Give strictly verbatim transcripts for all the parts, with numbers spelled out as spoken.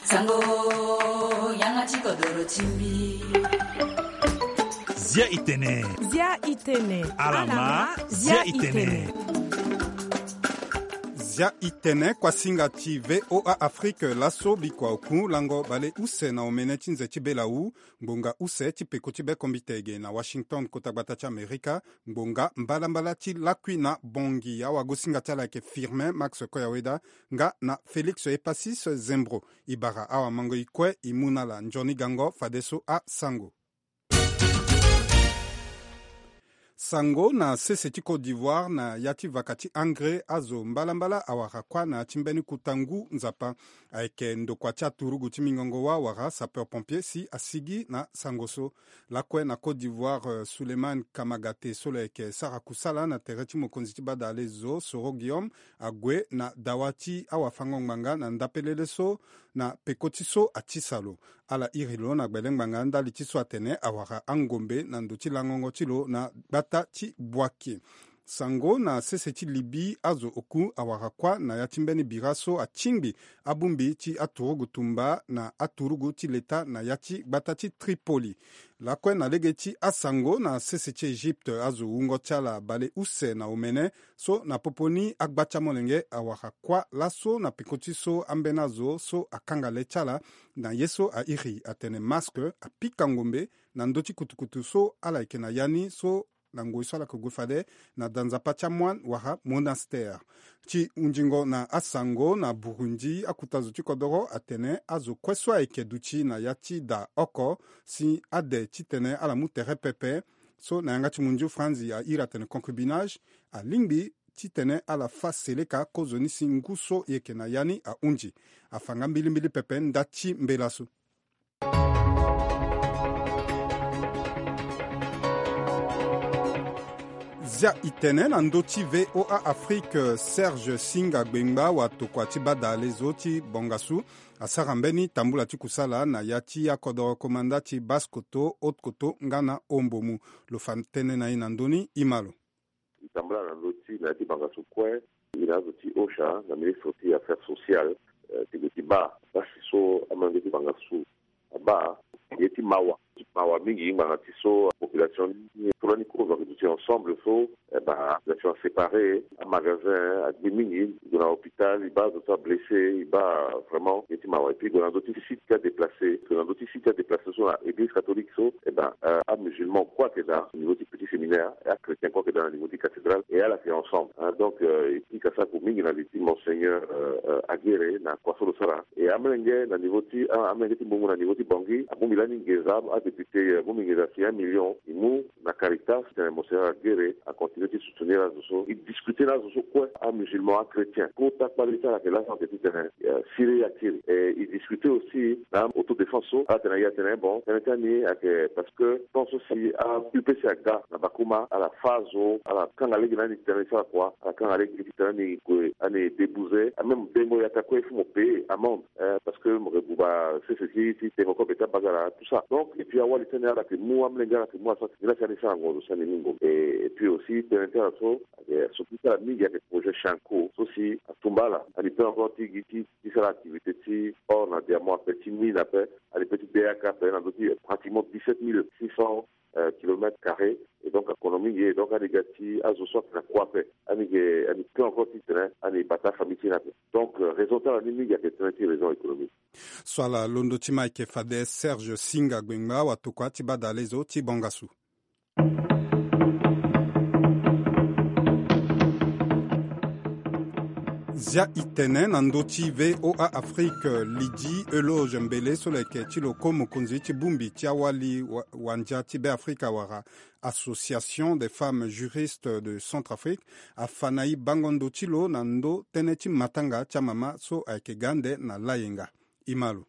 Sango, yanga ti kodoro ti mbi. Zia itene. Zia itene. Alama, zia itene. Zia itene, kuasinga ti V O A Afrique, laso bikua oku lango bale use na omene ti nze ti bela wu, ngbonga use ti peko ti bekombite ge na Washington, kota gbata ti Amerika, ngbonga mbalambala ti lakui na bongi. Awagosinga ti ala ayeke Firmin Max Koyaweda nga na Félix Epasis Zembro. E bara awamango e kue e mu na ala nzoni gango fadeso asango. Sango na sese ti Côte d'Ivoire na ya ti vaka ti engrais, azo mbalambala awara kuâ na ya ti mbeni kuta ngu nzapa. Ayeke ndokua ti aturugu ti mingongo wâ wala sapeur pompier si asigi na sango so. Lakue na Côte d'Ivoire, euh, Souleymane Kamagate so lo yeke sara kusala na tere ti mokonzi ti badale zo Soro Guillaume ague na dawa ti awafango-ngbanga na ndapelele so na peko ti so atisa lo. Ala iri lo na gbele ngbanga ndali ti so atene awara angombe na ndo ti langongo ti lo na gbata ti Boaké. Sango na sese ti Libye, azo oku awara kuâ na ya ti mbeni bira so atingbi abongbi ti aturugu tumba na aturugu ti leta na ya ti gbata ti Tripoli. Lakue na lege ti asango na sese ti Egypte, azo wungo ti ala bale use na omene so na popo ni agba ti amolenge awara kuâ laso na peko ti so ambeni azo so akanga le ti ala na ye so airi atene masque apika ngombe na ndö ti kutukutu so ala yeke na ya ni so na ngoi so ala yeke gue fade na da nzapa ti amoine wala monastère. Ti hunzingo na asango na Burundi, akuta zo ti kodoro atene azo kue so ayeke duti na ya ti da oko si ade titene ala mu tere pepe so na yanga ti munzu franzi airi atene concubinage, alingbi titene ala fâ seleka kozoni si ngu so e yeke na ya ni ahunzi. Afa nga mbilimbili pepe nda ti mbela so. Zia itene na ndö ti V O A Afrique, Serge Singa Gbengba watokua ti badale zo ti bongasu asara mbeni tambula ti kusala na ya ti akodoro komanda ti Basse-Kotto, Haute-Kotto nga na Hombomou. Lo fa tënë na e na ndö ni, e ma lo. E tambula na ndö ti na ya ti bangasu kue, e na azo ti OSHA na ministre ti affaires sociales, eh, ti gue ti baa pasi so amolenge ti bangasu abaa. Ye ti mawa, ti mawa mingi ngbanga ti so population ni so lani kozo ayeke duti ensemble so, eh ben, population aséparé, amagasin agbi mingi, e gue na hôpital, e baa azo so ablessé, e baa vraiment ye ti mawa. Et puis e gue na ndö ti site ti adéplacé, e gue na ndö ti site ti adéplacé so na église catholique so, eh ben, euh, amusulman kue ayeke daa na niveau ti petit séminaire, et achrétien kue ayeke daa na niveau ti cathédrale, et ala yeke ensemble, hein. Donc, euh, e pika sako mingi na li ti monseigneur, euh, euh, Aguirre na kua so lo sara. Et amolenge na niveau ti, ah, amolenge ti Hombomou na niveau ti Bangui, abongbi lani nginza, adéputé, euh, abongbi nginza ti un million, e mu na Caritas, titene monseigneur Aguirre acontinué ti soutenir azo so. E discuté na azo so kue, amusulman, achrétien. Kota kpale ti ala ayeke laso ayeke titene, euh, siré e akiri. Et e discuté aussi na autodéfense so, ala tene na e atene bon, tënë ti ani ayeke parce que tant so si a-U P C aga na Bakouma, ala fâ azo, ala kanga lege na ani titene e sara kua, ala kanga lege titene ani gue, ani débouser, a même dengo yaka kue il faut mo payer amende, hein, parce que mo yeke buba sese ti, ti tengo kobe ti abagara, tout ça. Donc, et puis awali ti ani ala yeke mu, amolenge ala yeke mu asara, nilaa si ani sara ngonzo si ani mu ngombe. Et, et puis aussi tënë ti ala so, ayeke so ti sara mingi ayeke projet Chanco so si atumba ala, ani peut encore ti gi ti, ti sara activité ti or na diamant ape, ti mine ape, ani peut ti D A K ape na ndö ti pratiquement dix-sept mille six cents, euh, kilomètres carrés. Et donc akono mingi, et donc ani ga ti azo so ayeke na kua ape, ani yeke, ani peut encore titene ani bata afamille ti ni ape. Donc, euh, raison ti ala ni mingi ayeke tënë ti raison économique. So ala londo ti ma ayeke fade Serge Singa Gbengba watokua ti badale zo ti bongasu. Zia itene na ndö ti V O A Afrique, Lydie Euloge Mbele so lo yeke ti lo ko mokonzi ti bongbi ti awali wa-, wandia ti Beafrika wala Association des Femmes Juristes de Centrafrique afa na e bango ndo ti lo na ndö tënë ti matanga ti amama so ayeke ga ande na layenga. E ma lo.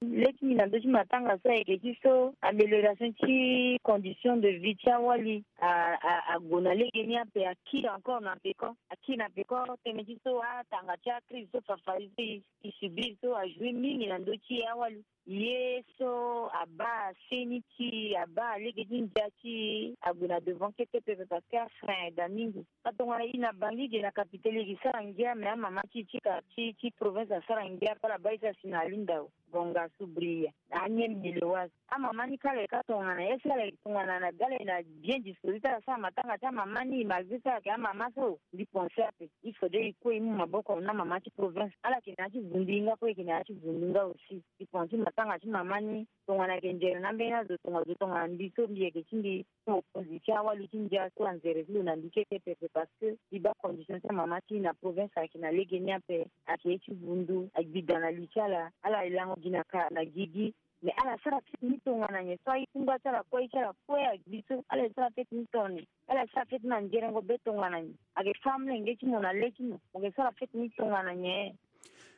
Lê ti mbi na ndö ti matanga so ayeke ti so amélioration ti condition de vie ti awali. a, a, ague na lege ni ape, akiri encore na peko, akiri na peko. Tënë ti so atanga ti akrize so fafari so e, e subir so ajoue mingi na ndö ti e awali. Ye so abaa seni ti e, abaa lege ti ndia ti e, ague na devant kete pepe parce que afrein aye daa mingi. Tongana e na Bangui ge na capitale e ke sara ngia, mais amama ti e ti ka ti, ti province asara ngia, ala baa e sara si na Alindao, Bongassou, Bria, na Niembé, Léoise. Amama ni kâ ala ye kâ tongana, ye si ala ye tongana na ga ala ye na bien disposé ti ala sara matanga ti amama ni, malgré so ala yeke amama so. Mbi pense ape, il faudrait e kue e mu maboko na amama ti province, ala yeke na ya ti vundu e nga kue, e yeke na ya ti vundu nga aussi. Mbi pense matanga ti mama ni, tongana ayeke nzere na ambeni azo, tongana zo, tongana mbi so mbi yeke ti mbi, so mokonzi ti awali ti ndia so anzere ti lo na mbi kete pepe, parce que mbi baa condition ti amama ti e na province ayeke na lege ni ape. Ayeke ye ti vundu, agbi daa na li ti ala, ala lango gi na ka na gigi. Mais ala sara feti ni tongana nyen so aye ti ngba ti ala kue, aye ti ala kue agbi so, ala ye sara feti ni tongana nyen? Ala ye sara feti na nzerengo be tongana nyen? Ayeke fâ amolenge ti mo na le ti mo, mo yeke sara feti ni tongana nyen?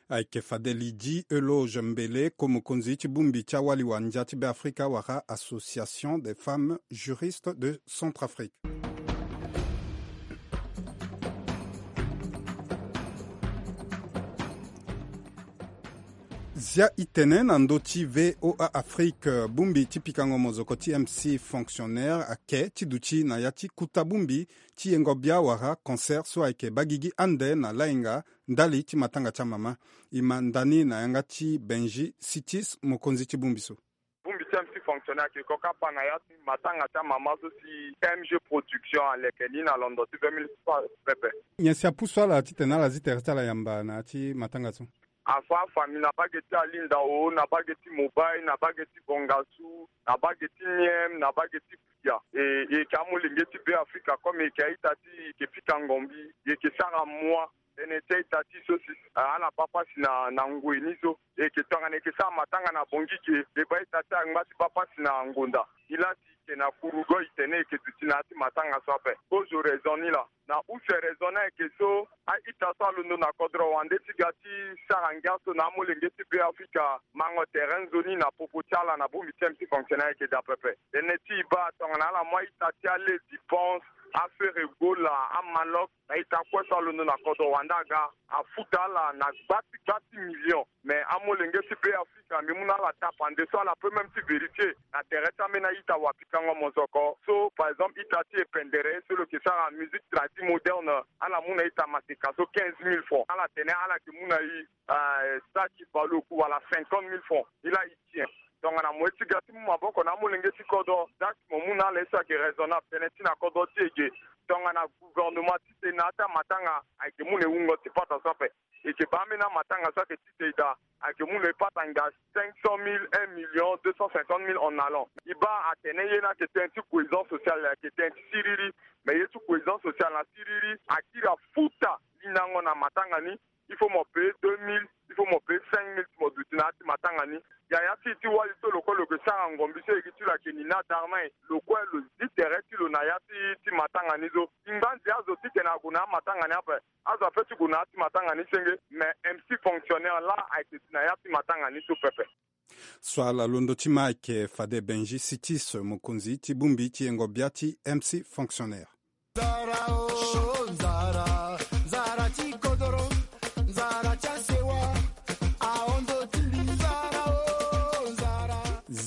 Ayeke fade Lydie Euloge Mbele, ko mokonzi ti bongbi ti awali wa ndia ti Beafrika wala Association des femmes juristes de Centrafrique. Zia e tene na ndö ti V O A Afrique, bongbi ti pikango mozoko ti M C fonctionnaire ake ti duti na ya ti kuta bongbi ti yengo bia wala cancer so ayeke baa gigi ande na lainga ndali ti matanga ti amama. E ma nda ni na yanga ti Benji Sitis, mokonzi ti bongbi so. Bongbi ti M C fonctionnaire ayeke ko kapa na ya ti matanga ti amama so si M G Production aleke ni na londo ti vingt mille francs pepe. Nyen si apusu ala titene ala zi tere ti ala yamba na ya ti matanga so? Afa afamille na baa ge ti Alindao, na baa ge ti Mobaye, na baa ge ti Bongassou, na baa ge ti Niem, na baa ge ti Bria. E, e yeke amolenge ti Beafrika, comme e yeke a-ita ti e, e yeke fika ngombi, e yeke sara mua. Tënë ti a-ita ti e so si, ah, ala baa pasi na, na ngoi ni so. E yeke tongana e yeke sara matanga na Bangui ge, e baa a-ita ti e angba ti baa pasi na ngonda. E laa si e yeke na kurugo, e tene e yeke duti na ya ti matanga so ape. Kozo raison ni laa. Na use raison ni ayeke so, a-ita so alondo na kodro wande ti ga ti sara ngia so na amolenge ti Beafrika mango tere nzoni na popo ti ala na bongbi ti M C fonctionnaire ayeke daa pepe. Tënë ti e baa tongana ala mu a-ita ti ale, dépense, afere gola, amalok, na ita kue so alondo na kodro wande aga, afuta ala na gba ti gba ti million. Mais amolenge ti Beafrika mbi mu na ala tapa nde so ala peut même ti vérifier na tere ti ambeni a-ita wapikango mozoko. So par exemple ita ti e Pendere so lo yeke sara musique tradi moderne, ala mu na ita maseka so quinze mille francs. Ala tene ala yeke mu na e, euh, saki baleoku wala cinquante mille francs. E laa e tien. Tongana mo ye ti ga ti mu maboko na amolenge ti kodro, dati mo mu na ala ye so ayeke raisonnable. Tënë ti na kodro ti e ge, tongana gouvernement ti tene na ya ti amatanga ayeke mu na e wungo ti pata so ape. E yeke baa ambeni amatanga so ayeke ti tene daa, ayeke mu na e pata ngia cinq cent mille, un million deux cent cinquante mille en allant. E baa atene ye ni ayeke tënë ti cohésion sociale, ayeke tënë ti siriri. Mais ye ti cohésion sociale na siriri akiri afuta linango na matanga ni. Il faut mo payer deux mille, il faut mo payer cinq mille ti mo duti na ya ti matanga ni. Ya ya ti e ti wali so lo kue lo yeke sara ngombi so e gi ti lo ayeke ni na darna e, lo kue lo zi tere ti lo na ya ti, ti matanga ni so. E ngba nze azo titene ague na amatanga ni ape. Azo apeut ti gue na ya ti matanga ni senge, mais M C fonctionnaire laa ayeke duti na ya ti matanga ni so pepe. So ala londo ti ma ayeke fade Benji Sitis, mokonzi ti bongbi ti yengo bia ti M C fonctionnaire.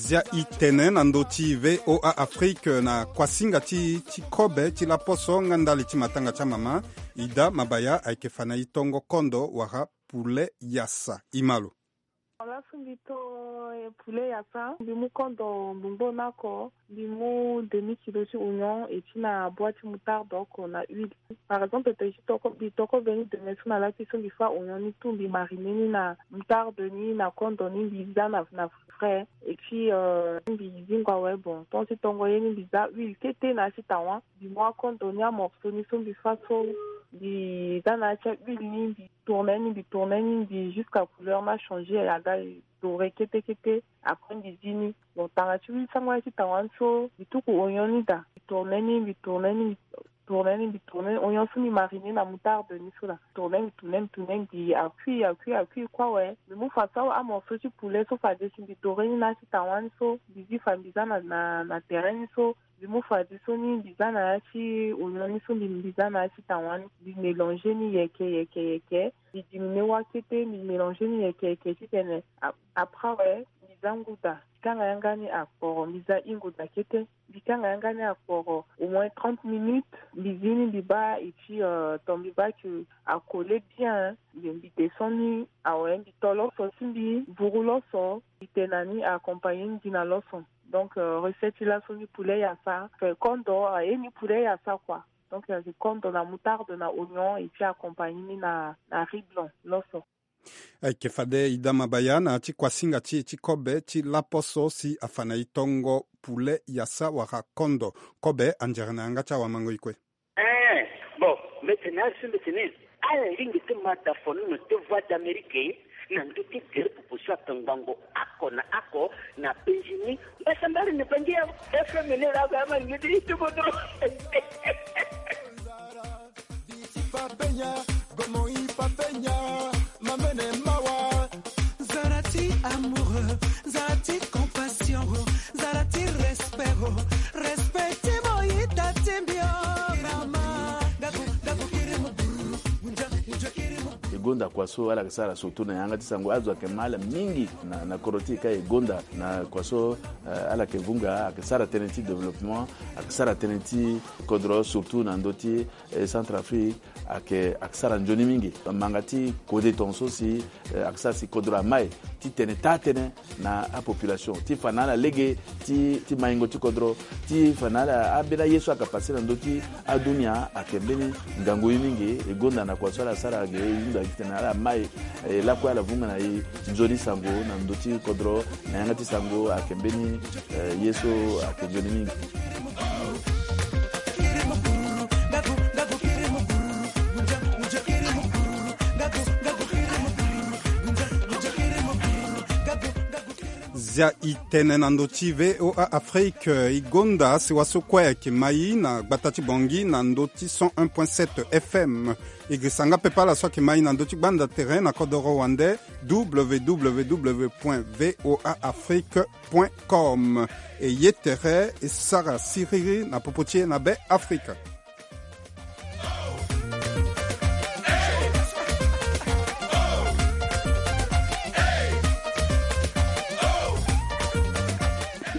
Zia e tene na ndö ti V O A Afrique na kuasinga ti, ti kobe ti laposo nga ndali ti matanga ti amama. Ida Mabaya ayeke fa na e tongo kondo wala poulet yassa. E ma lo. Laso mbi to poulet yassa, mbi mu kondo mbongbo ni oko, mbi mu demi kilo ti oignon et ti na bois ti moutarde oko na huile. Par exemple, to ye ti toko, mbi toko mbeni demain so na la ti so mbi fa oignon ni tout, mbi mariner ni na moutarde ni na kondo ni, mbi za na, na frais. Et puis, euh, mbi zingo awe, bon, tant ti tongo ye ni mbi za huile kete na ya ti tawa. Mbi mu akondo ni amorceau ni so mbi fa so, mbi za na ya ti ahuile ni, mbi tourner ni, mbi tourner ni, mbi jusqu'à couleur ni achanger aga doré kete kete. Après mbi zi ni. Bon, tanga ti huile sango ya ti tawa ni so, mbi tuku oignon ni daa, mbi tourner ni, mbi tourner ni, mbi tourner ni, mbi tourner ni. Oignon so mbi mariner na moutarde ni so daa. Tourner, mbi tourner, mbi tourner, mbi a cuit, a cuit, a cuit kue awe. Mbi mu fa so amorceau ti poulet so fade si mbi doré ni na ya ti tawa ni so, mbi zi fa mbi za na, na, na terrain ni so. Mbi mu fade so ni mbi za na ya ti oignon ni so mbi mbi za na ya ti tawa ni, mbi mélanger ni yeke yeke yeke. Mbi diminuer wâ kete, mbi mélanger ni yeke yeke titene ap- après awe mbi za nguda. Mbi kanga yanga ni akporo, mbi za i nguda kete. Mbi kanga yanga ni akporo au moins trente minutes. Mbi zi ni mbi baa, et puis euh, ton mbi baa que a coller bien. Mbi mbi descend ni awe, mbi to loso ti mbi, vuru loso, mbi tene na ni, accompagner ni gi na loso. Donc euh, recette ti laso ni poulet yassa, fait kondo aye ni poulet yassa quoi. Donc euh, kondo na moutarde na oignon et puis accompagner ni na na riz blanc loso. Ayeke fade e dama baya na ya ti kuasinga ti e ti kobe ti lapo so si afa na e tongo poulet yassa wala kondo. Kobe anzere na yanga ti awamango e kue. Eh, bon, mbi tene asi mbi tene ala lingbi ti mata fonono ti Voix d'Amérique na ndö ti tere popo so ato ngbongo oko na oko na penzi ni. Mbasambari na bangi ya F M ni la ga ma ngi ti tubo dro. Viti papenya, gomo i papenya, mamene mawa. Zara ti amoureux, zara ti compassion, zara ti respect, respect ti mo i ta ti mbio. Kirama, gaku, gaku kiri mo buru, unja, unja kiri mo. E gonda kua so ala yeke sara surtout na yanga ti sango, azo ayeke ma ala mingi na, na kodro ti e ka e gonda na kua so, eh, ala yeke vunga, ayeke sara tënë ti développement, ayeke sara tënë ti kodro surtout na ndö ti eh, Centrafrique, ayeke, ayeke sara nzoni mingi. Manga ti kode tongaso si, eh, ayeke sara si kodro amai ti tene taa-tënë na apopulation, ti fa na ala lege ti, ti maingo ti kodro, ti fa na ala ambeni aye so ayeke pase na ndö ti adunia, ayeke mbeni ngangu ye mingi. E gonda na kua so ala sara ge, e hunda titene ala mai, eh, lakue ala vunga na e nzoni sango na ndö ti kodro, na yanga ti sango ayeke mbeni, eh, ye so ayeke nzoni mingi. Zia i tene na ndö ti V O A Afrique, i gonda sewa so kue ayeke mai na gbata ti Bangui na ndö ti cent un point sept F M. I girisa nga pepe ala so ayeke mai na ndö ti gbanda tere na kodoro wande, W W W point V O A Afrique point com. E ye tere e sara siriri na popo ti e na Be Afrika.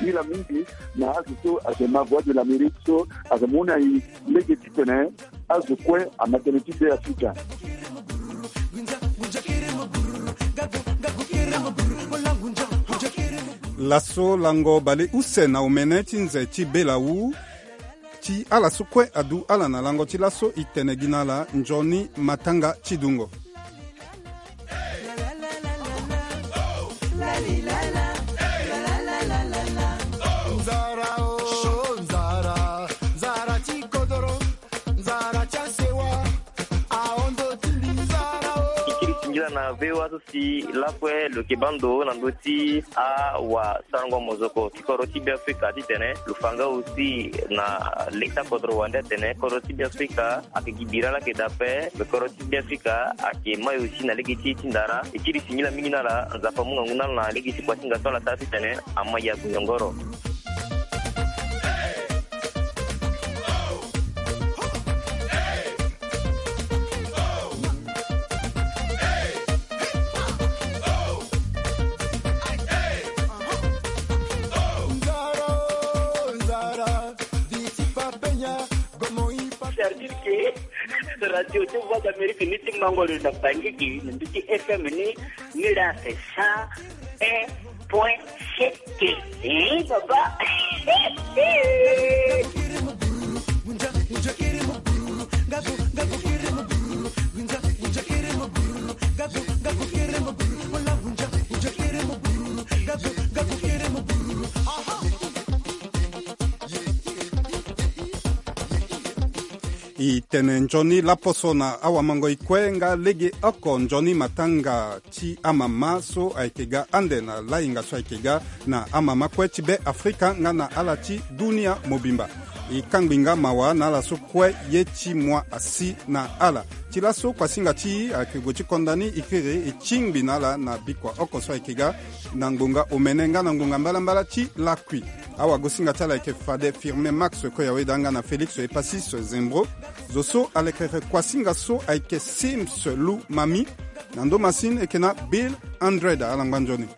Singila mingi na azo so ayeke ma Voix de l'Amérique so ayeke mu na e lege titene azo kue ama tënë ti Be Afrika. Laso lango bale use na omene ti nze ti belawu. Ti ala so kue adu ala na lango ti laso, i tene gi na ala nzoni matanga ti dungo. Nzara o, nzara, nzara ti kodoro, nzara ti asewa, ahon ndo ti mbi nzara o. I kiri singila na V O A so si lakue lo yeke baa ndo na ndö ti awasarango mozoko ti kodro ti Be Afrika titene lo fa nga aussi na leta kodro wande atene kodro ti Be Afrika ayeke gi bira laa ayeke daa ape, me kodro ti Be Afrika ayeke mai aussi na lege ti e ti ndara. E kiri singila mingi na ala, Nzapa amu ngangu na ala na lege ti kuasinga so ala sara titene ama ya gue nyongoro. C'est-à-dire que radio ti Voix d'Amérique ni ti mango lo na Bangui gi na ndö ti F M ni, ni la c'est cent un point sept. Eh, papa. I tene nzoni laposo na awamango i kue nga legeoko nzoni matanga ti amama so ayeke ga ande na lahinga so ayeke ga na amama kue ti Be Afrika nga na ala ti dunia mobimba. E kangbi nga mawa na ala so kue ye ti moi asi na ala. Ti laso kuasinga ti e ayeke gue ti konda ni, e kiri e tingbi na ala na bikua oko so ayeke ga na ngbonga omene nga na ngbonga mbalambala ti lakui. Awagosinga ti ala ayeke fade Firmin Max Koyawe daa nga na Félix Epasis Zembro. Zo so alekere kuasinga so ayeke Sims Lou Mami. Na ndo masini eke na Bill Andred, ala ngba nzoni.